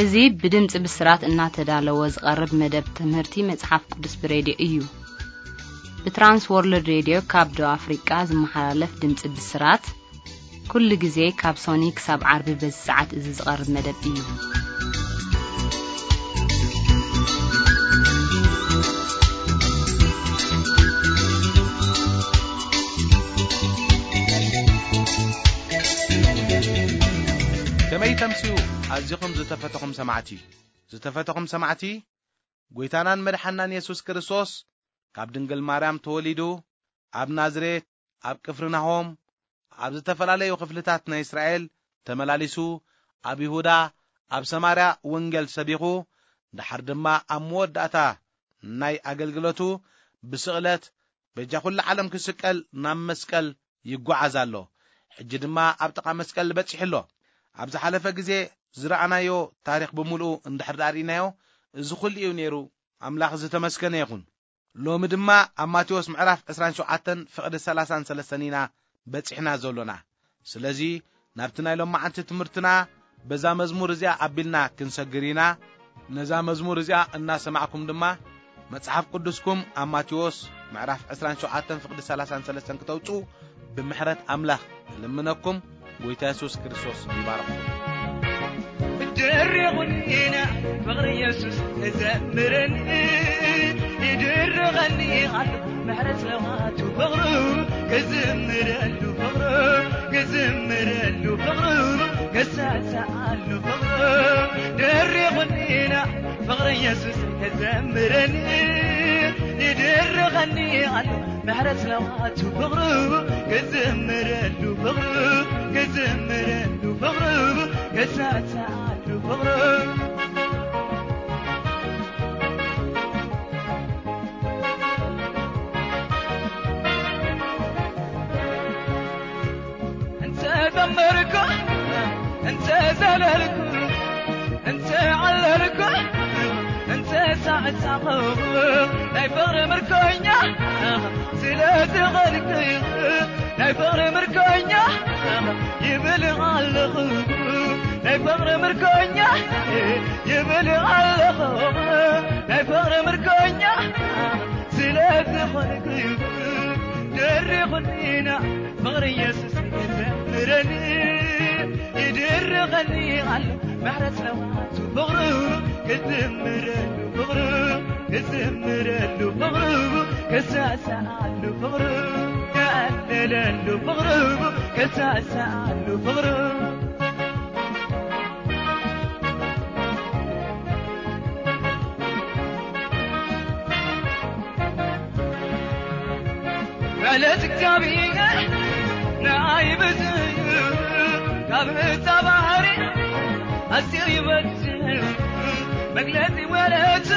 እዚ ብድምፂ ብስራት እናተዳለወ ዝቐርብ መደብ ትምህርቲ መጽሓፍ ቅዱስ ብሬድዮ እዩ። ብትራንስ ወርልድ ሬድዮ ካብ ደቡብ ኣፍሪቃ ዝመሓላለፍ ድምፂ ብስራት፣ ኩሉ ግዜ ካብ ሶኒ ክሳብ ዓርቢ በዚ ሰዓት እዚ ዝቐርብ መደብ እዩ። ከመይ ተምስዩ ኣዚኹም ዝተፈተኹም ሰማዕቲ? ዝተፈተኹም ሰማዕቲ፣ ጐይታናን መድሓናን የሱስ ክርስቶስ ካብ ድንግል ማርያም ተወሊዱ፣ ኣብ ናዝሬት፣ ኣብ ቅፍርናሆም፣ ኣብ ዝተፈላለዩ ክፍልታት ናይ እስራኤል ተመላሊሱ፣ ኣብ ይሁዳ፣ ኣብ ሰማርያ ወንጌል ሰቢኹ፣ ደሓር ድማ ኣብ መወዳእታ ናይ ኣገልግሎቱ ብስቕለት በጃ ኩሉ ዓለም ክስቀል ናብ መስቀል ይጓዓዝ ኣሎ። ሕጂ ድማ ኣብ ጥቓ መስቀል በጺሑ ኣሎ። ኣብ ዝሓለፈ ግዜ ዝረኣናዮ ታሪኽ ብምሉኡ እንድሕር ደኣ ርኢናዮ፣ እዚ ኩሉ እዩ ነይሩ። ኣምላኽ ዝተመስገነ ይኹን። ሎሚ ድማ ኣብ ማቴዎስ ምዕራፍ ዕስራን ሸውዓተን ፍቕዲ ሰላሳን ሰለስተን ኢና በጺሕና ዘሎና። ስለዚ ናብቲ ናይ ሎማዓንቲ ትምህርትና በዛ መዝሙር እዚኣ ኣቢልና ክንሰግር ኢና። ነዛ መዝሙር እዚኣ እናሰማዕኩም ድማ መጽሓፍ ቅዱስኩም ኣብ ማቴዎስ ምዕራፍ ዕስራን ሸውዓተን ፍቕዲ ሰላሳን ሰለስተን ክተውጽኡ ብምሕረት ኣምላኽ እልምነኩም። ጐይታ የሱስ ክርስቶስ ይባርኽኩም። ደሪቑኒና ፍቕሪ የሱስ ክዘምረኒ፣ ይድርቐኒ ኣሎ ምሕረት ለዋቱ ፍቕሩ፣ ክዝምረሉ ፍቕሩ፣ ክዝምረሉ ፍቕሩ፣ ክሳሳኣሉ ፍቕሩ። ደሪቑኒና ፍቕሪ የሱስ ክዘምረኒ፣ ይድርቐኒ ኣሎ ምሕረት ለዋቱ ፍቕሩ፣ ክዝምረሉ ፍቕሩ፣ ክዝምረሉ ፍቕሩ፣ ክሳሳኣሉ ፍቕሩ። እንተ ዘመርኩ፣ እንተ ዘለልኩ፣ እንተ ዓለልኩ፣ እንተ ሳዕሳዕኹ፣ ናይ ፍቕሪ ምርኮኛ ስለ ዝኾንኩ፣ ናይ ፍቕሪ ምርኮኛ ይብል ኣለኹ። ናይ ፍቕሪ ምርኮኛ ይብል ኣለኹ። ናይ ፍቕሪ ምርኮኛ ስለ ዝኾንኩ፣ ደሪኹኒና ፍቕሪ የሱስ ክዘምረኒ፣ ይድርቐኒ ኣሎ ምሕረት ለዋቱ ፍቕሩ፣ ክዝምረሉ ፍቕሩ፣ ክዝምረሉ ፍቕሩ፣ ክሳሳኣሉ ፍቕሩ፣ ክዕልለሉ ፍቕሩ፣ ክሳሳኣሉ ፍቕሩ። ምሕረት እግዚኣብሔር ንዓይ ብዙሕ እዩ፣ ካብ ህፃ ባህሪ ኣዝዩ ይበዝሕ። መግለፂ ወለቱ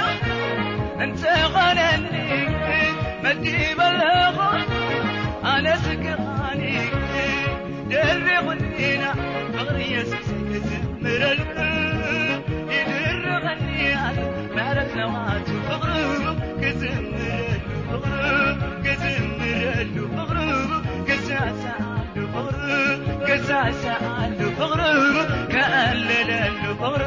እንተኾነኒ መዲበለኹ ኣነ ስግኣኒ። ደሪቑኒና ፍቕሪ የሱስ ክዝምረሉ፣ ይድርቐኒ ኣሎ ምሕረት ለዋቱ ፍቕሩ፣ ክዝምረሉ ፍቕሩ፣ ክዝምረሉ ፍቕሩ፣ ክሳሳኣሉ ፍቕሩ፣ ክሳሳኣሉ ፍቕሩ፣ ከዕልለሉ ፍቕሩ።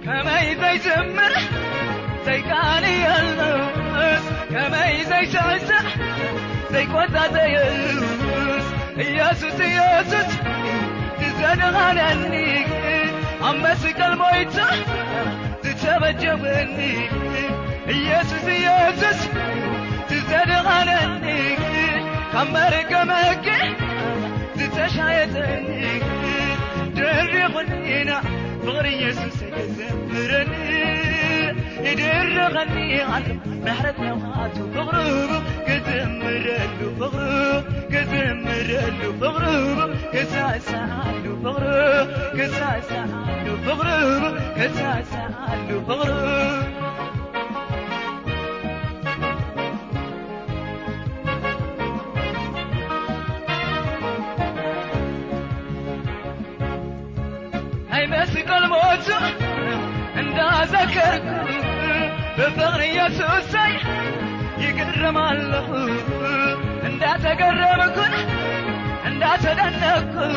ከመይ ዘይዝምር ዘይቃንየሉስ፣ ከመይ ዘይስዕስዕ ዘይቆጣጠየሉስ፣ ኢየሱስ ኢየሱስ ትዘድኻነኒ ኣብ መስቀል ሞይቱ ዝተበጀወኒ። ኢየሱስ ኢየሱስ ትዘድኻነኒ ካብ መርገመኪ ዝተሻየጠኒ። ደሪቑኒና ፍቕሪ ኢየሱስ ክዘምረኒ፣ ይድርቐኒ ኣሎ ምሕረት ለዋቱ ፍቕሩ፣ ክዝምረሉ ፍቕሩ፣ ክዝምረሉ ፍቕሩ፣ ክሳሳኣሉ ፍቕሩ፣ ክሳሳኣሉ ፍቕሩ፣ ክሳሳኣሉ ፍቕሩ። ናይ መስቀል ሞቱ እንዳዘከርኩ ብፍቕሪ የሱሰይ ይግ- እረም ኣለኹ እንዳተገረምኩን እንዳተደነቅኩን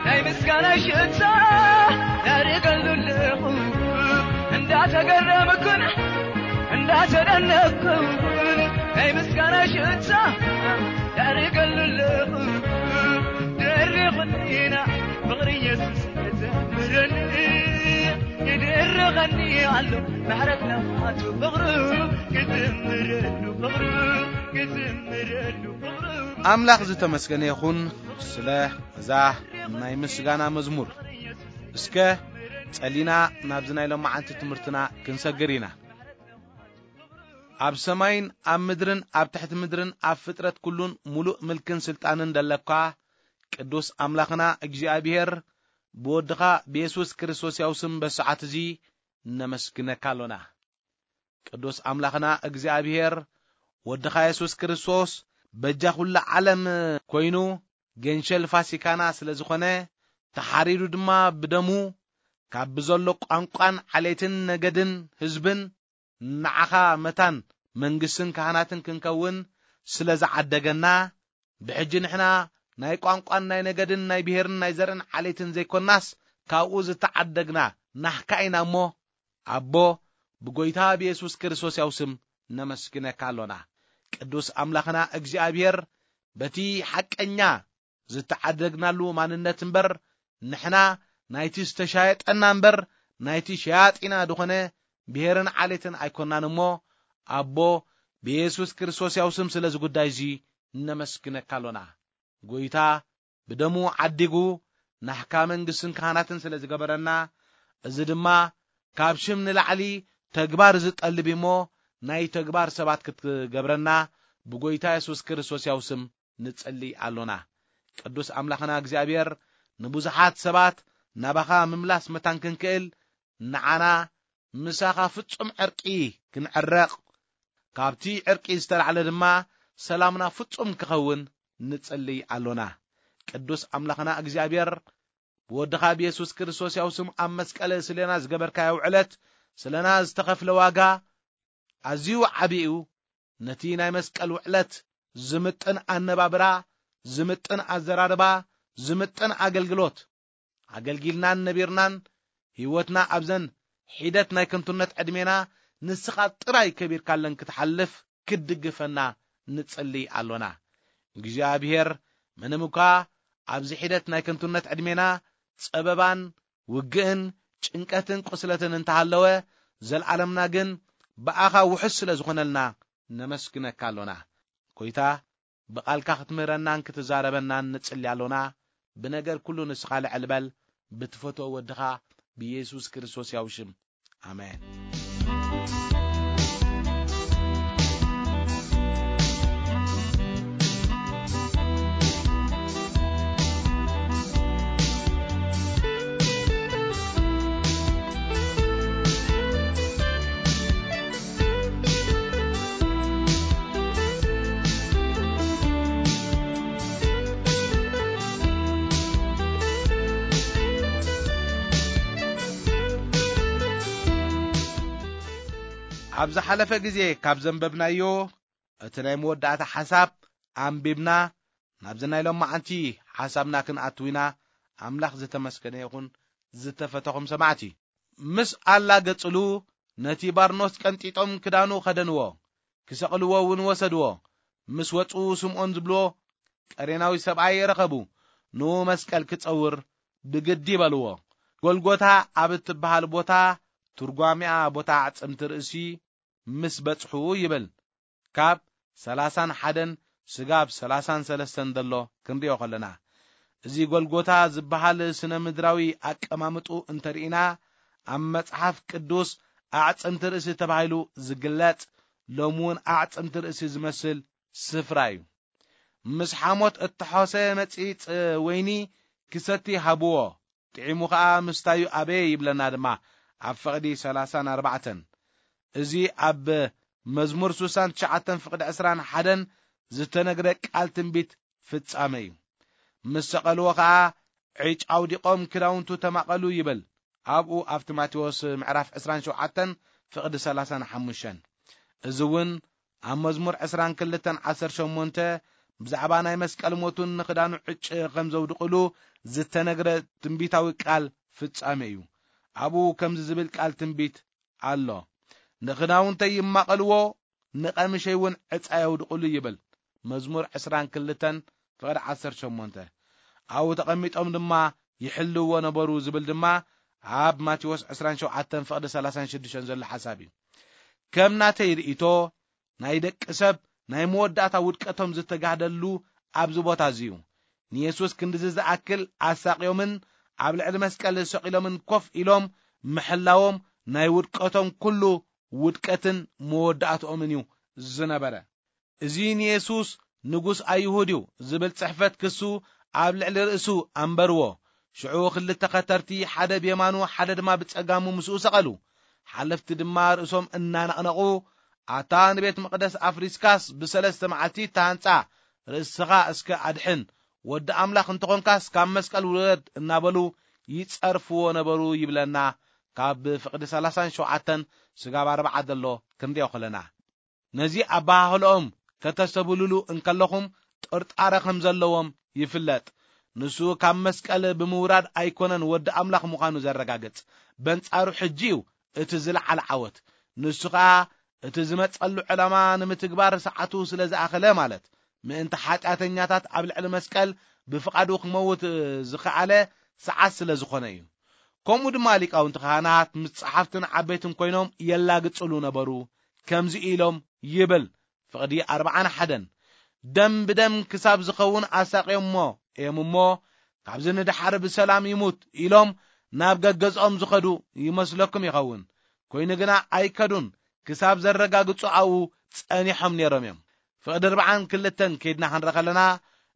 ናይ ምስጋና ሽታ ያደርገሉ ኣለኹ እንዳተገረምኩን እንዳተደነቅኩን ናይ ምስጋና ሽታ ያደርገሉ ኣለኹ። ደሪኹኒና ፍቕሪ ኢየሱስ ክዘምረኒ ይድርኸኒ ኣሎ ምሕረት ናቱ ፍቕሩ ክዝምረሉ ፍቕሩ ክዝምረሉ ፍቕሩ። ኣምላኽ ዝተመስገነ ይኹን ስለ እዛ ናይ ምስጋና መዝሙር። እስከ ጸሊና ናብዚ ናይ ሎማዓንቲ ትምህርትና ክንሰግር ኢና። ኣብ ሰማይን ኣብ ምድርን ኣብ ትሕቲ ምድርን ኣብ ፍጥረት ኩሉን ሙሉእ ምልክን ስልጣንን ደለካ ቅዱስ ኣምላኽና እግዚኣብሔር ብወድኻ ብየሱስ ክርስቶስ ያው ስም በሰዓት እዚ ነመስግነካ ኣሎና። ቅዱስ ኣምላኽና እግዚኣብሔር ወድኻ የሱስ ክርስቶስ በጃ ኩላ ዓለም ኮይኑ ገንሸል ፋሲካና ስለ ዝኾነ ተሓሪዱ ድማ ብደሙ ካብ ብዘሎ ቋንቋን ዓሌትን ነገድን ህዝብን ንዓኻ መታን መንግስትን ካህናትን ክንከውን ስለ ዝዓደገና ብሕጂ ንሕና ናይ ቋንቋን ናይ ነገድን ናይ ብሔርን ናይ ዘርእን ዓሌትን ዘይኮናስ ካብኡ ዝተዓደግና ናህካ ኢና እሞ ኣቦ ብጎይታ ብየሱስ ክርስቶስ ያው ስም ነመስግነካ ኣሎና። ቅዱስ ኣምላኽና እግዚኣብሔር በቲ ሓቀኛ ዝተዓደግናሉ ማንነት እምበር ንሕና ናይቲ ዝተሻየጠና እምበር ናይቲ ሸያጢና ዝኾነ ብሔርን ዓሌትን ኣይኮናን እሞ ኣቦ ብየሱስ ክርስቶስ ያው ስም ስለዚ ጉዳይ እዚ ነመስግነካ ኣሎና። ጎይታ ብደሙ ዓዲጉ ናህካ መንግስትን ካህናትን ስለ ዝገበረና እዚ ድማ ካብ ሽም ንላዕሊ ተግባር ዝጠልብ እሞ ናይ ተግባር ሰባት ክትገብረና ብጎይታ የሱስ ክርስቶስ ያው ስም ንጽሊ ኣሎና። ቅዱስ ኣምላኽና እግዚኣብሔር ንብዙሓት ሰባት ናባኻ ምምላስ መታን ክንክእል ንዓና ምሳኻ ፍጹም ዕርቂ ክንዕረቕ ካብቲ ዕርቂ ዝተላዕለ ድማ ሰላምና ፍጹም ክኸውን ንጽሊ ኣሎና። ቅዱስ ኣምላኽና እግዚኣብሔር ብወድኻ ብየሱስ ክርስቶስ ያው ስም ኣብ መስቀል ስሌና ዝገበርካዮ ውዕለት ስለና ዝተኸፍለ ዋጋ ኣዝዩ ዓቢ እዩ። ነቲ ናይ መስቀል ውዕለት ዝምጥን ኣነባብራ ዝምጥን ኣዘራርባ ዝምጥን ኣገልግሎት ኣገልጊልናን ነቢርናን ህይወትና ኣብዘን ሒደት ናይ ከንቱነት ዕድሜና ንስኻ ጥራይ ከቢርካለን ክትሓልፍ ክትድግፈና ንጽሊ ኣሎና። እግዚኣብሔር ምንም እኳ ኣብዚ ሒደት ናይ ከንቱነት ዕድሜና ጸበባን ውግእን ጭንቀትን ቁስለትን እንተሃለወ ዘልዓለምና ግን ብኣኻ ውሑስ ስለ ዝኾነልና ነመስግነካ ኣሎና። ጎይታ ብቓልካ ክትምህረናን ክትዛረበናን ንጽሊ ኣሎና። ብነገር ኩሉ ንስኻ ልዕል በል። ብትፈትዎ ወድኻ ብየሱስ ክርስቶስ ያው ሽም ኣሜን። ኣብ ዝሓለፈ ግዜ ካብ ዘንበብናዮ እቲ ናይ መወዳእታ ሓሳብ ኣንቢብና ናብዚ ናይ ሎማዓንቲ ሓሳብና ክንኣትው ኢና። ኣምላኽ ዝተመስገነ ይኹን። ዝተፈተኹም ሰማዕቲ ምስ ኣላገጽሉ ነቲ ባርኖስ ቀንጢጦም ክዳኑ ከደንዎ ክሰቕልዎ እውን ወሰድዎ። ምስ ወጹ ስምዖን ዝብልዎ ቀሬናዊ ሰብኣይ ረኸቡ። ንኡ መስቀል ክጸውር ብግዲ በልዎ። ጎልጎታ ኣብ እትበሃል ቦታ ትርጓሚኣ ቦታ ኣዕጽምቲ ርእሲ ምስ በጽሑ ይብል። ካብ ሰላሳን ሓደን ስጋብ ሰላሳን ሰለስተን ዘሎ ክንሪኦ ከለና እዚ ጎልጎታ ዝበሃል ስነ ምድራዊ ኣቀማምጡ እንተርኢና ኣብ መጽሓፍ ቅዱስ ኣዕጽምቲ ርእሲ ተባሂሉ ዝግለጽ ሎም እውን ኣዕጽምቲ ርእሲ ዝመስል ስፍራ እዩ። ምስ ሓሞት እተሖሰ መጺጽ ወይኒ ክሰቲ ሃብዎ፣ ጥዒሙ ኸኣ ምስታዩ ኣበየ ይብለና ድማ ኣብ ፍቕዲ ሰላሳን ኣርባዕተን። እዚ ኣብ መዝሙር ስሳን ትሽዓተን ፍቕዲ ዕስራን ሓደን ዝተነግረ ቃል ትንቢት ፍጻመ እዩ። ምስ ሰቐልዎ ኸኣ ዕጭ ኣውዲቖም ክዳውንቱ ተማቐሉ ይብል። ኣብኡ ኣብቲ ማቴዎስ ምዕራፍ ዕስራን ሸውዓተን ፍቕዲ ሰላሳን ሓሙሽተን። እዚ እውን ኣብ መዝሙር ዕስራን ክልተን ዓሰርተ ሸሞንተ ብዛዕባ ናይ መስቀል ሞቱን ንኽዳኑ ዕጭ ከም ዘውድቕሉ ዝተነግረ ትንቢታዊ ቃል ፍጻሜ እዩ። ኣብኡ ከምዚ ዝብል ቃል ትንቢት ኣሎ። "ንኽዳውንተይ ይማቐልዎ፣ ንቐምሸይ እውን ዕጻ የውድቕሉ" ይብል። መዝሙር ዕስራን ክልተን ፍቕዲ ዓሰርተ ሸሞንተ። ኣብኡ ተቐሚጦም ድማ ይሕልዎ ነበሩ ዝብል ድማ ኣብ ማቴዎስ ዕስራን ሸውዓተን ፍቕዲ ሰላሳን ሽዱሽተን ዘሎ ሓሳብ እዩ። ከም ናተይ ርእይቶ፣ ናይ ደቂ ሰብ ናይ መወዳእታ ውድቀቶም ዝተጋህደሉ ኣብዚ ቦታ እዚ እዩ። ንየሱስ ክንድዚ ዝኣክል ኣሳቕዮምን ኣብ ልዕሊ መስቀል ሰቒሎምን ኮፍ ኢሎም ምሕላዎም ናይ ውድቀቶም ኩሉ ውድቀትን መወዳእትኦምን እዩ ዝነበረ። "እዚ ንየሱስ ንጉስ ኣይሁድ እዩ" ዝብል ጽሕፈት ክሱ ኣብ ልዕሊ ርእሱ ኣንበርዎ። ሽዑ ክልተ ኸተርቲ፣ ሓደ ብየማኑ ሓደ ድማ ብጸጋሙ ምስኡ ሰቐሉ። ሓለፍቲ ድማ ርእሶም እናነቕነቑ፣ "ኣታ ንቤት መቕደስ ኣፍሪስካስ ብሰለስተ መዓልቲ እተሃንጻ፣ ርእስኻ እስከ ኣድሕን፣ ወዲ ኣምላኽ እንተኾንካስ ካብ መስቀል ውረድ" እናበሉ ይጸርፍዎ ነበሩ ይብለና። ካብ ፍቕዲ ሰላሳን ሸውዓተን ስጋብ ኣርባዓ ዘሎ ክንሪኦ ከለና፣ ነዚ ኣበሃህልኦም ከተስተብህልሉ እንከለኹም ጥርጣረ ከም ዘለዎም ይፍለጥ። ንሱ ካብ መስቀል ብምውራድ ኣይኮነን ወዲ ኣምላኽ ምዃኑ ዘረጋግጽ። በንጻሩ ሕጂ እዩ እቲ ዝለዓለ ዓወት። ንሱ ኸኣ እቲ ዝመጸሉ ዕላማ ንምትግባር ሰዓቱ ስለ ዝኣኸለ፣ ማለት ምእንቲ ሓጢኣተኛታት ኣብ ልዕሊ መስቀል ብፍቓዱ ክመውት ዝኸኣለ ሰዓት ስለ ዝኾነ እዩ። ከምኡ ድማ ሊቃውንቲ ካህናት ምስ ጸሓፍትን ዓበይትን ኮይኖም የላግጽሉ ነበሩ። ከምዚ ኢሎም ይብል ፍቕዲ ኣርባዓን ሓደን፣ "ደም ብደም ክሳብ ዝኸውን ኣሳቕዮሞ እዮም እሞ፣ ካብዚ ንደሓር ብሰላም ይሙት" ኢሎም ናብ ገገዝኦም ዝኸዱ ይመስለኩም ይኸውን። ኮይኑ ግና ኣይከዱን፣ ክሳብ ዘረጋግጹ ኣብኡ ጸኒሖም ነይሮም እዮም። ፍቕዲ ኣርባዓን ክልተን ከይድና ክንርኢ ከለና፣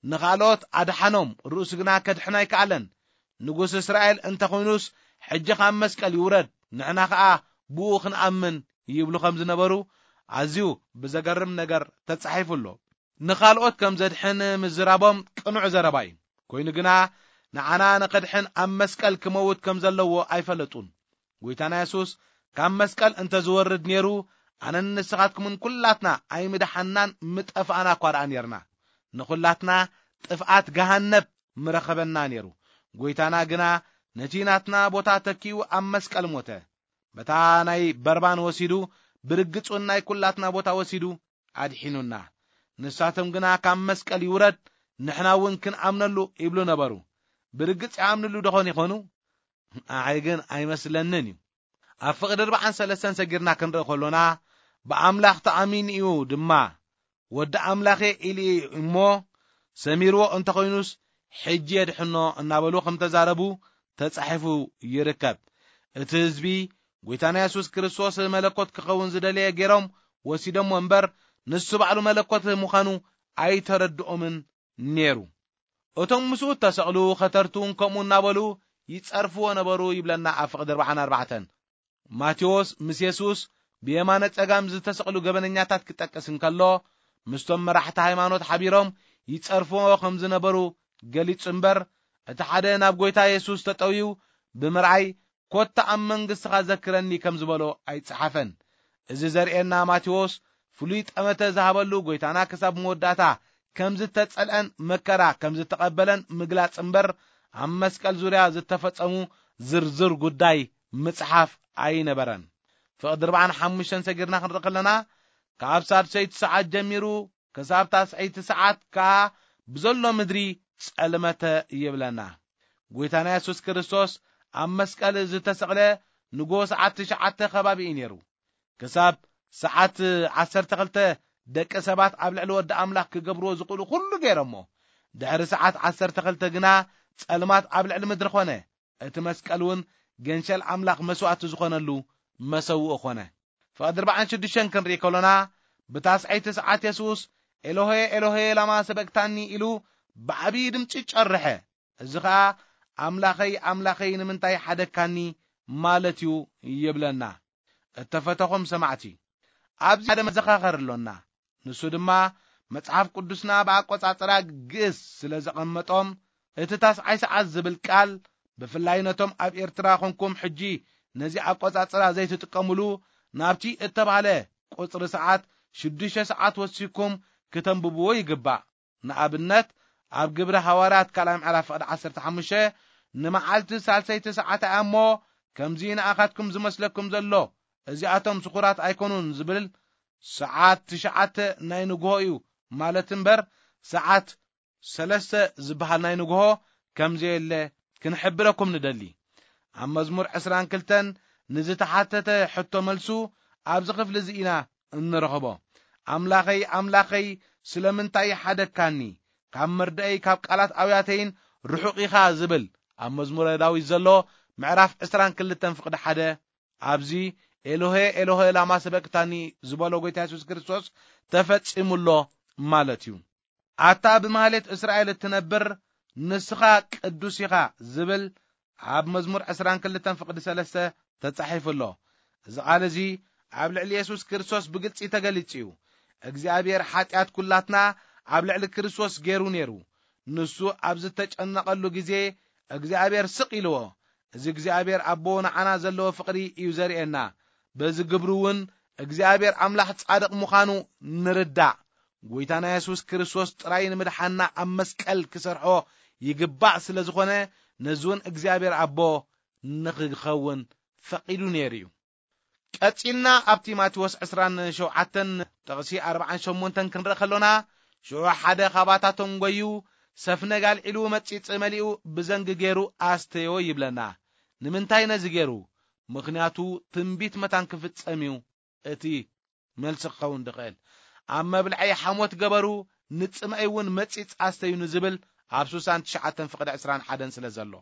ንኻልኦት ኣድሓኖም፣ ርእሱ ግና ከድሕን ኣይከኣለን። ንጉስ እስራኤል እንተኾይኑስ፣ ሕጂ ካብ መስቀል ይውረድ፣ ንሕና ኸኣ ብኡ ክንኣምን ይብሉ ከም ዝነበሩ ኣዝዩ ብዘገርም ነገር ተጻሒፉ ኣሎ። ንኻልኦት ከም ዘድሕን ምዝራቦም ቅኑዕ ዘረባ እዩ። ኮይኑ ግና ንዓና ንኸድሕን ኣብ መስቀል ክመውት ከም ዘለዎ ኣይፈለጡን። ጎይታና የሱስ ካብ መስቀል እንተ ዝወርድ ነይሩ፣ ኣነን ንስኻትኩምን ኩላትና ኣይምድሓንናን ምጠፋእና እኳ ደኣ ነይርና። ንኹላትና ጥፍኣት ገሃነብ ምረኸበና ነይሩ። ጎይታና ግና ነቲ ናትና ቦታ ተኪኡ ኣብ መስቀል ሞተ። በታ ናይ በርባን ወሲዱ፣ ብርግጽ እውን ናይ ኩላትና ቦታ ወሲዱ ኣድሒኑና። ንሳቶም ግና ካብ መስቀል ይውረድ፣ ንሕና እውን ክንኣምነሉ ይብሉ ነበሩ። ብርግጽ ይኣምንሉ ደኾን ይኾኑ? ኣይ ግን ኣይመስለንን እዩ። ኣብ ፍቕዲ ኣርባዓን ሰለስተን ሰጊርና ክንርኢ ከሎና፣ ብኣምላኽ ተኣሚኑ እዩ ድማ፣ "ወዲ ኣምላኽ እየ" ኢሉ እዩ እሞ፣ ሰሚርዎ እንተኾይኑስ፣ "ሕጂ የድሕኖ" እናበሉ ከም ተዛረቡ ተጻሒፉ ይርከብ። እቲ ህዝቢ፣ ጎይታና የሱስ ክርስቶስ መለኮት ክኸውን ዝደለየ ገይሮም ወሲዶምዎ እምበር፣ ንሱ ባዕሉ መለኮት ምዃኑ ኣይተረድኦምን ነይሩ። እቶም ምስኡ እተሰቕሉ ኸተርቱ እውን ከምኡ እናበሉ ይጸርፍዎ ነበሩ ይብለና ኣብ ፍቕዲ ኣርባዓን ኣርባዕተን። ማቴዎስ ምስ የሱስ ብየማነ ጸጋም ዝተሰቕሉ ገበነኛታት ክጠቅስ እንከሎ፣ ምስቶም መራሕቲ ሃይማኖት ሓቢሮም ይጸርፍዎ ከም ዝነበሩ ገሊጹ እምበር፣ እቲ ሓደ ናብ ጐይታ የሱስ ተጠውዩ ብምርኣይ፣ "ኮታ ኣብ መንግስትኻ ዘክረኒ" ከም ዝበሎ ኣይጸሓፈን። እዚ ዘርእየና ማቴዎስ ፍሉይ ጠመተ ዝሃበሉ ጐይታና ክሳብ መወዳእታ ከም ዝተጸልአን መከራ ከም ዝተቐበለን ምግላጽ እምበር፣ ኣብ መስቀል ዙርያ ዝተፈጸሙ ዝርዝር ጉዳይ ምጽሓፍ ኣይነበረን። ፍቕዲ ኣርባዓን ሓሙሽተን ሰጊርና ክንርኢ ከለና፣ ካብ ሳድሰይቲ ሰዓት ጀሚሩ ክሳብ ታስዐይቲ ሰዓት ከኣ ብዘሎ ምድሪ ጸልመተ ይብለና። ጐይታና የሱስ ክርስቶስ ኣብ መስቀል ዝተሰቕለ ንጎ ሰዓት ትሽዓተ ከባቢ እዩ ነይሩ። ክሳብ ሰዓት ዓሰርተ ክልተ ደቂ ሰባት ኣብ ልዕሊ ወዲ ኣምላኽ ክገብርዎ ዝኽእሉ ኩሉ ገይሮሞ። ድሕሪ ሰዓት ዓሰርተ ክልተ ግና ጸልማት ኣብ ልዕሊ ምድሪ ኾነ። እቲ መስቀል እውን ገንሸል ኣምላኽ መስዋእቲ ዝኾነሉ መሰውኢ ኾነ። ፍቕዲ ኣርባዓን ሽዱሽተን ክንርኢ ከሎና፣ ብታስዐይቲ ሰዓት የሱስ "ኤሎሄ፣ ኤሎሄ፣ ላማ ሰበቅታኒ?" ኢሉ ብዓብዪ ድምጺ ጨርሐ። እዚ ኸኣ "ኣምላኸይ፣ ኣምላኸይ፣ ንምንታይ ሓደግካኒ?" ማለት እዩ ይብለና። እተፈተኹም ሰማዕቲ፣ ኣብዚ ሓደ መዘኻኸር ኣሎና። ንሱ ድማ መጽሓፍ ቅዱስና ብኣቆጻጽራ ግእዝ ስለ ዘቐመጦም፣ እቲ ታስዓይ ሰዓት ዝብል ቃል፣ ብፍላይ ነቶም ኣብ ኤርትራ ኾንኩም ሕጂ ነዚ ኣቆጻጽራ ዘይትጥቀሙሉ፣ ናብቲ እተባህለ ቁጽሪ ሰዓት ሽዱሽተ ሰዓት ወሲኩም ክተንብብዎ ይግባእ። ንኣብነት፣ ኣብ ግብሪ ሃዋርያት ካልኣይ ምዕራፍ ፍቕዲ ዓሰርተ ሓሙሽተ፣ "ንመዓልቲ ሳልሰይቲ ሰዓት እያ እሞ፣ ከምዚ ንኣኻትኩም ዝመስለኩም ዘሎ፣ እዚኣቶም ስኹራት ኣይኮኑን" ዝብል፣ ሰዓት ትሽዓተ ናይ ንግሆ እዩ ማለት እምበር፣ ሰዓት ሰለስተ ዝበሃል ናይ ንግሆ ከም ዘየለ ክንሕብረኩም ንደሊ። ኣብ መዝሙር ዕስራን ክልተን ንዝተሓተተ ሕቶ መልሱ ኣብዚ ክፍሊ እዚ ኢና እንረኽቦ። "ኣምላኸይ፣ ኣምላኸይ፣ ስለምንታይ ሓደግካኒ? ካብ መርድእይ፣ ካብ ቃላት ኣውያተይን ርሑቕ ኢኻ" ዝብል ኣብ መዝሙረ ዳዊት ዘሎ ምዕራፍ ዕስራን ክልተን ፍቕዲ ሓደ፣ ኣብዚ "ኤሎሄ፣ ኤሎሄ፣ ላማ ሰበቅታኒ" ዝበሎ ጎይታ የሱስ ክርስቶስ ተፈጺሙ ኣሎ ማለት እዩ። "ኣታ ብማህሌት እስራኤል እትነብር፣ ንስኻ ቅዱስ ኢኻ" ዝብል ኣብ መዝሙር ዕስራን ክልተን ፍቕዲ ሰለስተ ተጻሒፉ ኣሎ። እዚ ቃል እዚ ኣብ ልዕሊ የሱስ ክርስቶስ ብግልጺ ተገሊጹ እዩ። እግዚኣብሔር ሓጢኣት ኩላትና ኣብ ልዕሊ ክርስቶስ ገይሩ ነይሩ። ንሱ ኣብ ዝተጨነቐሉ ግዜ እግዚኣብሔር ስቕ ኢልዎ። እዚ እግዚኣብሔር ኣቦ ንዓና ዘለዎ ፍቕሪ እዩ ዘርእየና። በዚ ግብሩ እውን እግዚኣብሔር ኣምላኽ ጻድቕ ምዃኑ ንርዳእ። ጎይታና የሱስ ክርስቶስ ጥራይ ንምድሓንና ኣብ መስቀል ክሰርሖ ይግባእ ስለ ዝኾነ፣ ነዚ እውን እግዚኣብሔር ኣቦ ንኽኸውን ፈቒዱ ነይሩ እዩ። ቀጺልና ኣብቲ ማቴዎስ ዕስራን ሸውዓተን ጥቕሲ ኣርባዓን ሸሞንተን ክንርኢ ከሎና፣ ሽዑ ሓደ ኻባታቶም ጐዩ፣ ሰፍነግ ኣልዒሉ፣ መጺጽ መሊኡ፣ ብዘንጊ ገይሩ ኣስተዮ ይብለና። ንምንታይ ነዚ ገይሩ? ምኽንያቱ ትንቢት መታን ክፍጸም እዩ። እቲ መልሲ ክኸውን ዝኽእል፣ "ኣብ መብልዐይ ሓሞት ገበሩ፣ ንጽምኣይ እውን መጺጽ ኣስተዩ" ንዝብል ኣብ ሱሳን ትሽዓተን ፍቕዲ ዕስራን ሓደን ስለ ዘሎ።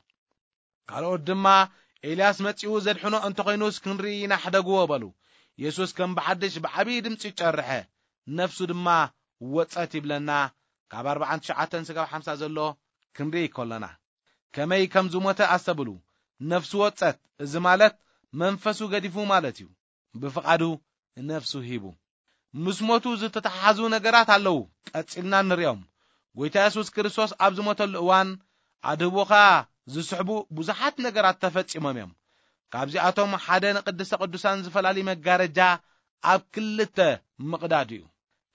ካልኦት ድማ፣ "ኤልያስ መጺኡ ዘድሕኖ እንተኾይኑስ ክንርኢ ኢና፣ ሕደግዎ" በሉ። የሱስ ከም ብሓድሽ ብዓብዪ ድምጺ ጨርሐ፣ ነፍሱ ድማ ወጸት ይብለና። ካብ ኣርባዓን ትሽዓተን ስጋብ ሓምሳ ዘሎ ክንርኢ ከሎና፣ ከመይ ከም ዝሞተ ኣስተብሉ። ነፍሱ ወጸት፣ እዚ ማለት መንፈሱ ገዲፉ ማለት እዩ። ብፍቓዱ ነፍሱ ሂቡ። ምስ ሞቱ ዝተተሓሓዙ ነገራት ኣለዉ። ቀጺልና ንሪኦም። ጎይታ የሱስ ክርስቶስ ኣብ ዝሞተሉ እዋን፣ ኣድህቦኻ ዝስሕቡ ብዙሓት ነገራት ተፈጺሞም እዮም። ካብዚኣቶም ሓደ ንቅድስተ ቅዱሳን ዝፈላሊ መጋረጃ ኣብ ክልተ ምቕዳድ እዩ።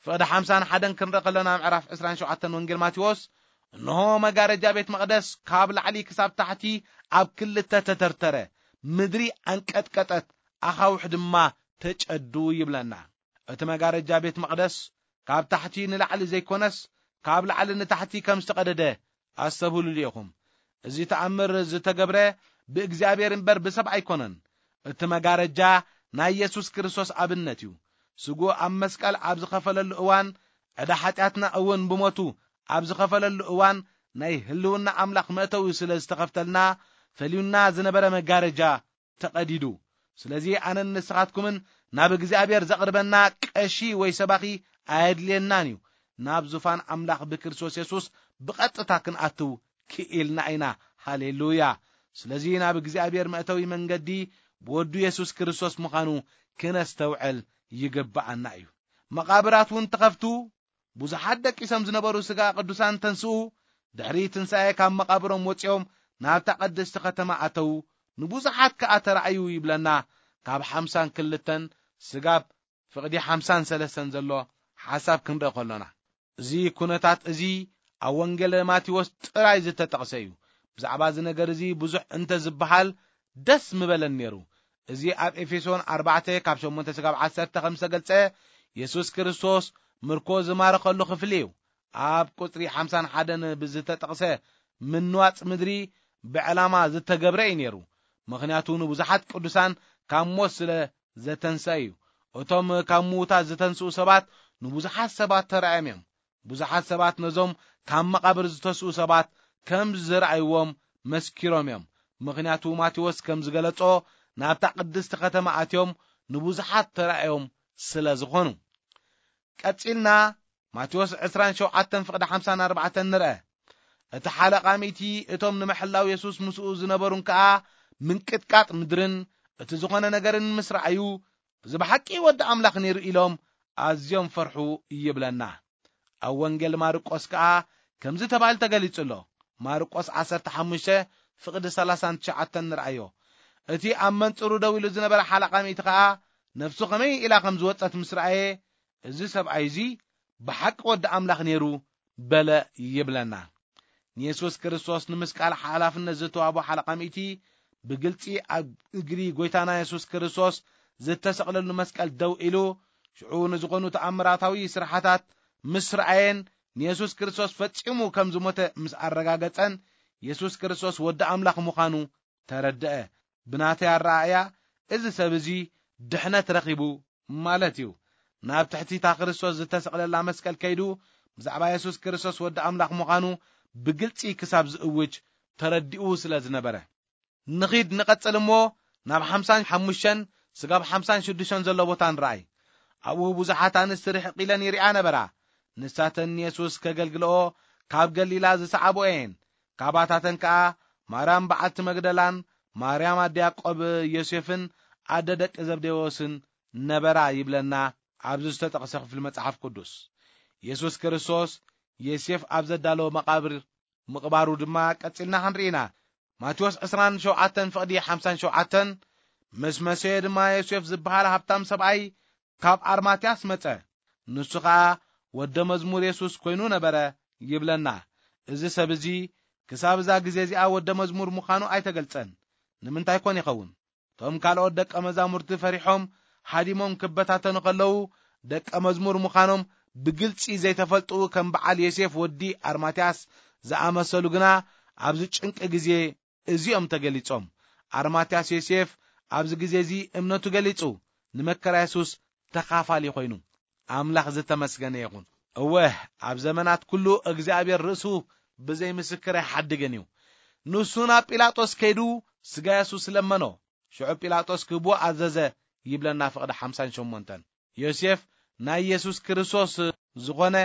ፍቕዲ ሓምሳን ሓደን ክንርኢ ከለና፣ ምዕራፍ ዕስራን ሸውዓተን ወንጌል ማቴዎስ፣ "እንሆ፣ መጋረጃ ቤት መቕደስ ካብ ላዕሊ ክሳብ ታሕቲ ኣብ ክልተ ተተርተረ፣ ምድሪ ኣንቀጥቀጠት፣ ኣኻውሕ ድማ ተጨዱ" ይብለና። እቲ መጋረጃ ቤት መቕደስ ካብ ታሕቲ ንላዕሊ ዘይኮነስ፣ ካብ ላዕሊ ንታሕቲ ከም ዝተቐደደ ኣስተብህሉሉ ኢኹም። እዚ ተኣምር ዝተገብረ ብእግዚኣብሔር እምበር ብሰብ ኣይኮነን። እቲ መጋረጃ ናይ የሱስ ክርስቶስ ኣብነት እዩ። ስግኡ ኣብ መስቀል ኣብ ዝኸፈለሉ እዋን፣ ዕዳ ሓጢኣትና እውን ብሞቱ ኣብ ዝኸፈለሉ እዋን፣ ናይ ህልውና ኣምላኽ መእተዊ ስለ ዝተኸፍተልና፣ ፈሊዩና ዝነበረ መጋረጃ ተቐዲዱ። ስለዚ ኣነን ንስኻትኩምን ናብ እግዚኣብሔር ዘቕርበና ቀሺ ወይ ሰባኺ ኣየድልየናን እዩ። ናብ ዙፋን ኣምላኽ ብክርስቶስ የሱስ ብቐጥታ ክንኣትው ክኢልና ኢና። ሃሌሉያ! ስለዚ ናብ እግዚኣብሔር መእተዊ መንገዲ ብወዱ የሱስ ክርስቶስ ምዃኑ ክነስተውዕል ይግብኣና እዩ። መቓብራት እውን ተኸፍቱ፣ ብዙሓት ደቂሶም ዝነበሩ ሥጋ ቅዱሳን ተንስኡ፣ ድሕሪ ትንሳኤ ካብ መቓብሮም ወጺኦም ናብታ ቅድስቲ ከተማ ኣተዉ፣ ንብዙሓት ከኣ ተራእዩ ይብለና። ካብ ሓምሳን ክልተን ስጋብ ፍቕዲ ሓምሳን ሰለስተን ዘሎ ሓሳብ ክንርኢ ከሎና፣ እዚ ኩነታት እዚ ኣብ ወንጌል ማቴዎስ ጥራይ ዝተጠቕሰ እዩ። ብዛዕባ እዚ ነገር እዚ ብዙሕ እንተ ዝበሃል ደስ ምበለን ነይሩ። እዚ ኣብ ኤፌሶን ኣርባዕተ ካብ ሸሞንተ ስጋብ ዓሰርተ ከም ዝተገልጸ፣ የሱስ ክርስቶስ ምርኮ ዝማረኸሉ ክፍሊ እዩ። ኣብ ቁጽሪ ሓምሳን ሓደን ብዝተጠቕሰ ምንዋጽ ምድሪ ብዕላማ ዝተገብረ እዩ ነይሩ። ምኽንያቱ ንብዙሓት ቅዱሳን ካብ ሞት ስለ ዘተንስአ እዩ። እቶም ካብ ምዉታት ዝተንስኡ ሰባት ንብዙሓት ሰባት ተራእዮም እዮም። ብዙሓት ሰባት ነዞም ካብ መቓብር ዝተስኡ ሰባት ከም ዝረኣይዎም መስኪሮም እዮም። ምኽንያቱ ማቴዎስ ከም ዝገለጾ ናብታ ቅድስቲ ከተማ ኣትዮም ንብዙሓት ተራእዮም ስለ ዝኾኑ። ቀጺልና ማቴዎስ ዕስራን ሸውዓተን ፍቕዲ ሓምሳን ኣርባዕተን ንርአ። እቲ ሓለቓ ሚእቲ እቶም ንምሕላው የሱስ ምስኡ ዝነበሩን ከኣ ምንቅጥቃጥ ምድርን እቲ ዝኾነ ነገርን ምስ ረኣዩ፣ "እዚ ብሓቂ ወዲ ኣምላኽ ነይሩ" ኢሎም ኣዝዮም ፈርሑ ይብለና። ኣብ ወንጌል ማርቆስ ከኣ ከምዚ ተባሂሉ ተገሊጹ ኣሎ። ማርቆስ ዓሰርተ ሓሙሽተ ፍቕዲ ሰላሳን ትሽዓተን ንርኣዮ። እቲ ኣብ መንጽሩ ደው ኢሉ ዝነበረ ሓለቓ ሚእቲ ከኣ ነፍሱ ከመይ ኢላ ከም ዝወጸት ምስ ረኣየ፣ እዚ ሰብኣይ እዚ ብሓቂ ወዲ ኣምላኽ ነይሩ በለ ይብለና። ንየሱስ ክርስቶስ ንምስቃል ሓላፍነት ዝተዋህቦ ሓለቓ ሚእቲ ብግልጺ ኣብ እግሪ ጎይታና የሱስ ክርስቶስ ዝተሰቕለሉ መስቀል ደው ኢሉ፣ ሽዑ ንዝኾኑ ተኣምራታዊ ስራሓታት ምስ ረኣየን ንየሱስ ክርስቶስ ፈጺሙ ከም ዝሞተ ምስ ኣረጋገጸን፣ የሱስ ክርስቶስ ወዲ ኣምላኽ ምዃኑ ተረድአ። ብናተይ ኣረኣእያ፣ እዚ ሰብ እዚ ድሕነት ረኺቡ ማለት እዩ። ናብ ትሕቲ እታ ክርስቶስ ዝተሰቕለላ መስቀል ከይዱ፣ ብዛዕባ የሱስ ክርስቶስ ወዲ ኣምላኽ ምዃኑ ብግልጺ ክሳብ ዝእውጅ ተረዲኡ ስለ ዝነበረ። ንኺድ ንቐጽል እሞ፣ ናብ ሓምሳን ሓሙሽተን ስጋብ ሓምሳን ሽዱሽተን ዘሎ ቦታ ንረኣይ። ኣብኡ ብዙሓት ኣንስቲ ርሕቕ ኢለን ይሪኣ ነበራ። ንሳተን ንየሱስ ከገልግልኦ ካብ ገሊላ ዝሰዓብኦ እየን። ካባታተን ከኣ ማርያም በዓልቲ መግደላን ማርያም ኣደ ያዕቆብ ዮሴፍን ኣደ ደቂ ዘብዴዎስን ነበራ ይብለና ኣብዚ ዝተጠቕሰ ክፍሊ መጽሓፍ ቅዱስ። የሱስ ክርስቶስ ዮሴፍ ኣብ ዘዳለዎ መቓብር ምቕባሩ ድማ ቀጺልና ክንርኢ ኢና። ማቴዎስ ዕስራን ሸውዓተን ፍቕዲ ሓምሳን ሸውዓተን፣ ምስ መሰየ ድማ ዮሴፍ ዝበሃል ሃብታም ሰብኣይ ካብ ኣርማትያስ መጸ። ንሱ ኸኣ ወደ መዝሙር የሱስ ኮይኑ ነበረ ይብለና። እዚ ሰብ እዚ ክሳብ እዛ ግዜ እዚኣ ወደ መዝሙር ምዃኑ ኣይተገልጸን። ንምንታይ ኮን ይኸውን? እቶም ካልኦት ደቀ መዛሙርቲ ፈሪሖም ሃዲሞም ክበታተኑ ከለዉ፣ ደቀ መዝሙር ምዃኖም ብግልጺ ዘይተፈልጡ ከም በዓል ዮሴፍ ወዲ ኣርማትያስ ዝኣመሰሉ ግና ኣብዚ ጭንቂ ግዜ እዚኦም ተገሊጾም። ኣርማትያስ ዮሴፍ ኣብዚ ግዜ እዚ እምነቱ ገሊጹ፣ ንመከራ የሱስ ተኻፋሊ ኮይኑ። ኣምላኽ ዝተመስገነ ይኹን። እወ፣ ኣብ ዘመናት ኩሉ እግዚኣብሔር ርእሱ ብዘይ ምስክር ኣይሓድግን እዩ። ንሱ ናብ ጲላጦስ ከይዱ ስጋ የሱስ ለመኖ። ሽዑ ጲላጦስ ክህብዎ ኣዘዘ ይብለና ፍቕዲ ሓምሳን ሸሞንተን። ዮሴፍ ናይ የሱስ ክርስቶስ ዝኾነ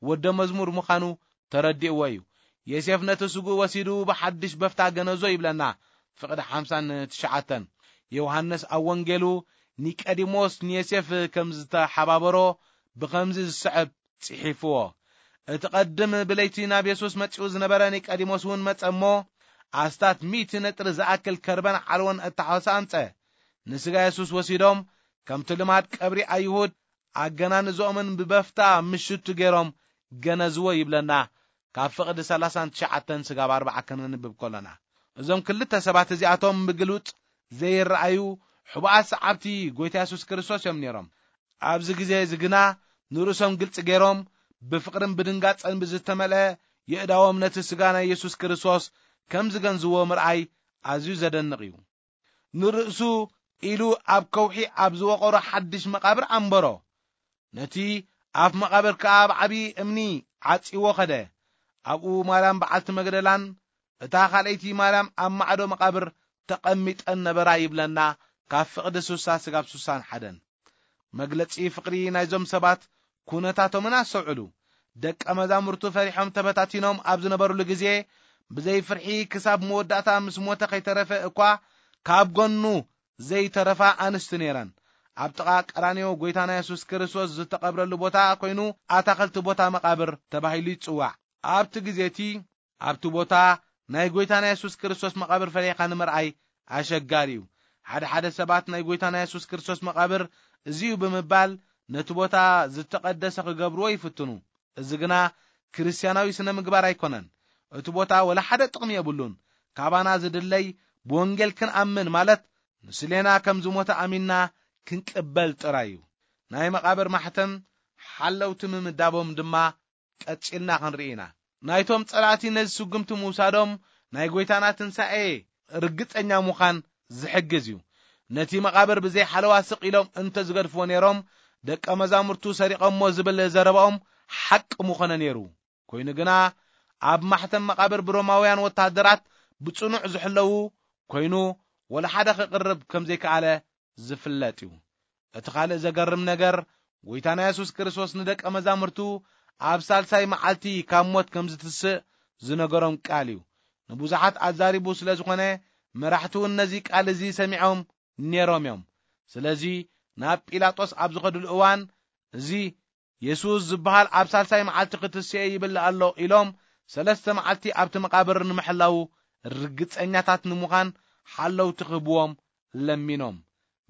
ወደ መዝሙር ምዃኑ ተረዲእዎ እዩ። ዮሴፍ ነቲ ስጉእ ወሲዱ ብሓድሽ በፍታ ገነዞ ይብለና ፍቕዲ ሓምሳን ትሽዓተን። ዮሃንስ ኣብ ወንጌሉ ኒቀዲሞስ ንዮሴፍ ከም ዝተሓባበሮ ብኸምዚ ዝስዕብ ጽሒፍዎ። እቲ ቀድም ብለይቲ ናብ የሱስ መጺኡ ዝነበረ ኒቀዲሞስ እውን መጸ እሞ፣ ኣስታት ሚእቲ ነጥሪ ዝኣክል ከርበን ዓልዎን እተሓወሰ ኣምጸ። ንስጋ የሱስ ወሲዶም፣ ከምቲ ልማድ ቀብሪ ኣይሁድ ኣገናንዝኦምን ብበፍታ ምሽቱ ገይሮም ገነዝዎ ይብለና፣ ካብ ፍቕዲ ሰላሳን ትሽዓተን ስጋብ ኣርባዓ ከነንብብ ከሎና። እዞም ክልተ ሰባት እዚኣቶም ብግሉጽ ዘይረኣዩ ሕቡኣት ሰዓብቲ ጎይታ የሱስ ክርስቶስ እዮም ነይሮም። ኣብዚ ግዜ እዚ ግና ንርእሶም ግልጺ ገይሮም፣ ብፍቕርን ብድንጋጸን ብዝተመልአ የእዳዎም ነቲ ስጋ ናይ የሱስ ክርስቶስ ከም ዝገንዝዎ ምርኣይ ኣዝዩ ዘደንቕ እዩ። ንርእሱ ኢሉ ኣብ ከውሒ ኣብ ዝወቐሮ ሓድሽ መቓብር ኣንበሮ። ነቲ ኣፍ መቓብር ከኣ ብዓቢ እምኒ ዓጺዎ ኸደ። ኣብኡ ማርያም በዓልቲ መግደላን እታ ካልኣይቲ ማርያም ኣብ ማዕዶ መቓብር ተቐሚጠን ነበራ ይብለና፣ ካብ ፍቕዲ ስሳ ስጋብ ስሳን ሓደን። መግለጺ ፍቕሪ ናይዞም ሰባት ኩነታቶምን ኣስተውዕሉ። ደቀ መዛሙርቱ ፈሪሖም ተበታቲኖም ኣብ ዝነበሩሉ ግዜ፣ ብዘይ ፍርሒ ክሳብ መወዳእታ ምስ ሞተ ከይተረፈ እኳ ካብ ጎኑ ዘይተረፋ ኣንስቲ ነይረን። ኣብ ጥቓ ቀራንዮ ጎይታና የሱስ ክርስቶስ ዝተቐብረሉ ቦታ ኮይኑ ኣታኽልቲ ቦታ መቓብር ተባሂሉ ይጽዋዕ። ኣብቲ ግዜ እቲ ኣብቲ ቦታ ናይ ጎይታና የሱስ ክርስቶስ መቓብር ፈሊኻ ንምርኣይ ኣሸጋሪ እዩ። ሓደ ሓደ ሰባት ናይ ጎይታና የሱስ ክርስቶስ መቓብር እዚ እዩ ብምባል ነቲ ቦታ ዝተቐደሰ ክገብርዎ ይፍትኑ። እዚ ግና ክርስትያናዊ ስነ ምግባር ኣይኮነን። እቲ ቦታ ወላ ሓደ ጥቕሚ የብሉን። ካባና ዝድለይ ብወንጌል ክንኣምን ማለት ንስሌና ከም ዝሞተ ኣሚንና ክንቅበል ጥራይ እዩ። ናይ መቓብር ማሕተም ሓለውቲ ምምዳቦም ድማ ቀጺልና ክንርኢ ኢና። ናይቶም ጸላእቲ ነዚ ስጉምቲ ምውሳዶም ናይ ጎይታና ትንሳኤ ርግጸኛ ምዃን ዝሕግዝ እዩ። ነቲ መቓብር ብዘይ ሓለዋ ስቕ ኢሎም እንተ ዝገድፍዎ ነይሮም፣ ደቀ መዛሙርቱ ሰሪቖሞ ዝብል ዘረባኦም ሓቂ ምኾነ ነይሩ። ኮይኑ ግና፣ ኣብ ማሕተም መቓብር ብሮማውያን ወተሃደራት ብጽኑዕ ዝሕለዉ ኮይኑ፣ ወላ ሓደ ክቕርብ ከም ዘይከኣለ ዝፍለጥ እዩ። እቲ ካልእ ዘገርም ነገር፣ ጎይታና የሱስ ክርስቶስ ንደቀ መዛሙርቱ ኣብ ሳልሳይ መዓልቲ ካብ ሞት ከም ዝትስእ ዝነገሮም ቃል እዩ። ንብዙሓት ኣዛሪቡ ስለ ዝኾነ፣ መራሕቲ እውን ነዚ ቃል እዚ ሰሚዖም ነይሮም እዮም። ስለዚ ናብ ጲላጦስ ኣብ ዝኸድሉ እዋን፣ "እዚ የሱስ ዝበሃል ኣብ ሳልሳይ መዓልቲ ክትስኤ ይብል ኣሎ" ኢሎም፣ ሰለስተ መዓልቲ ኣብቲ መቓብር ንምሕላዉ ርግጸኛታት ንምዃን ሓለውቲ ክህብዎም ለሚኖም።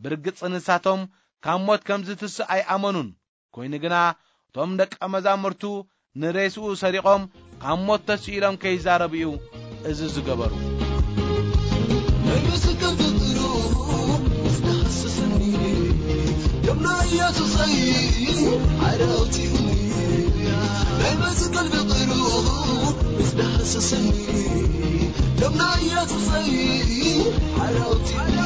ብርግጽ ንሳቶም ካብ ሞት ከም ዝትስእ ኣይኣመኑን። ኮይኑ ግና እቶም ደቀ መዛሙርቱ ንሬስኡ ሰሪቖም ካብ ሞት ተስኢሎም ከይዛረቡ እዩ እዚ ዝገበሩ። ናይ መስቀል ፍቕሩ ምስ ዳህሰሰኒ፣ ደም ናይ ኢየሱሰይ ሓደ ኣውጺኡኒ። ናይ መስቀል ፍቕሩ ምስ ዳህሰሰኒ፣ ደም ናይ ኢየሱሰይ ሓደ ኣውጺኡኒ።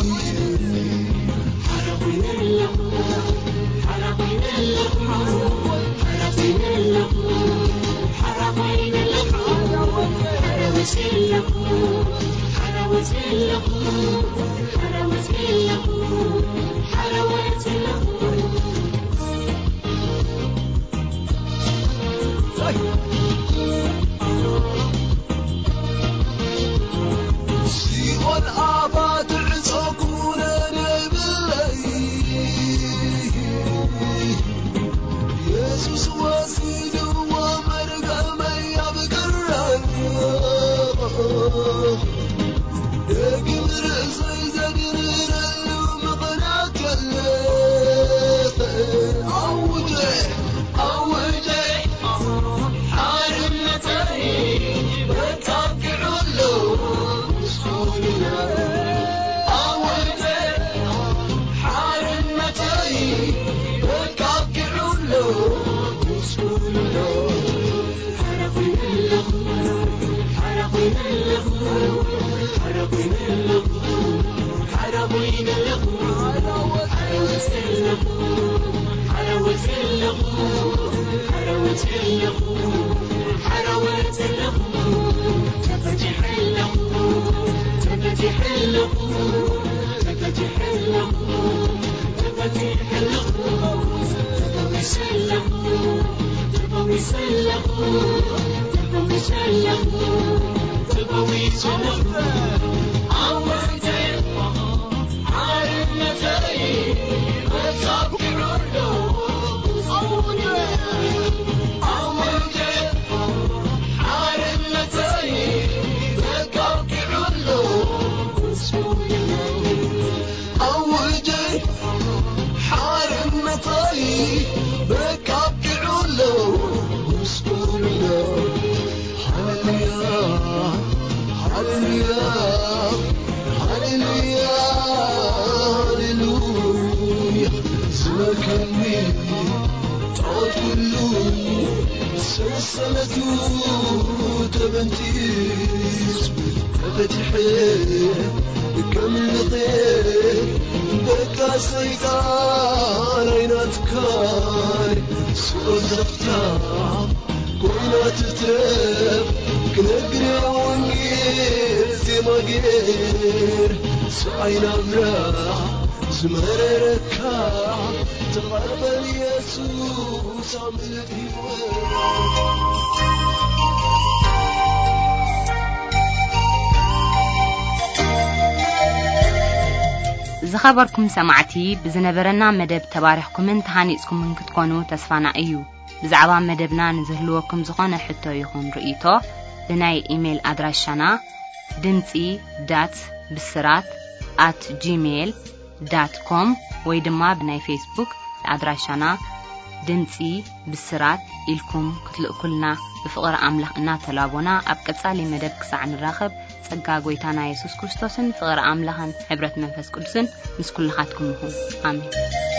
ሲኦል ኣባ ትዕጾ ኩነነ ብለይ፣ የሱስ ወሲድዎ መርገመይ ኣብ ቀራንዮ። ደጊም ርእሰይ ዘድርረሉ ምኽንያት የለ። ኣውጀ፣ ኣውጀ፣ ሓርነተይ በቃ ኣብቂዑ ኣሎ። ኣውጀ፣ ሓርነተይ በቃ ኣብቂዑ ኣሎ። ኣውጀ ሓርነተይ በቃ ኣብቂዑ ኣሎ። ምስጉን ኣሎ። ሃሌሉያ፣ ሃሌሉያ፣ ሃሌሉያ፣ ሃሌሉያ። ዝመልከኒ ጣዖት ኩሉ ሰንሰለቱ ተበንጢሱ ተፈቲሐ ከምልኸ በቃ ሰይጣን ኣይናትካን ስቕ ዘፍታ ኮይና ትትረፍ ክነግር ወንጌል ዜማ ገይር ስዓይ ናብራ ዝመረረካ ተቐበል ኢየሱስ ኣምልኽ ህይወት። ዝኸበርኩም ሰማዕቲ፣ ብዝነበረና መደብ ተባሪኽኩምን ተሃኒጽኩምን ክትኮኑ ተስፋና እዩ። ብዛዕባ መደብና ንዝህልወኩም ዝኾነ ሕቶ ይኹን ርእይቶ፣ ብናይ ኢሜይል ኣድራሻና ድምጺ ዳት ብስራት ኣት ጂሜይል ዳት ኮም ወይ ድማ ብናይ ፌስቡክ ኣድራሻና ድምጺ ብስራት ኢልኩም ክትልእኩልና ብፍቕሪ ኣምላኽ እናተላቦና፣ ኣብ ቀጻሊ መደብ ክሳዕ ንራኸብ፣ ጸጋ ጐይታና የሱስ ክርስቶስን ፍቕሪ ኣምላኽን ሕብረት መንፈስ ቅዱስን ምስ ኩልኻትኩም ይኹን። ኣሜን።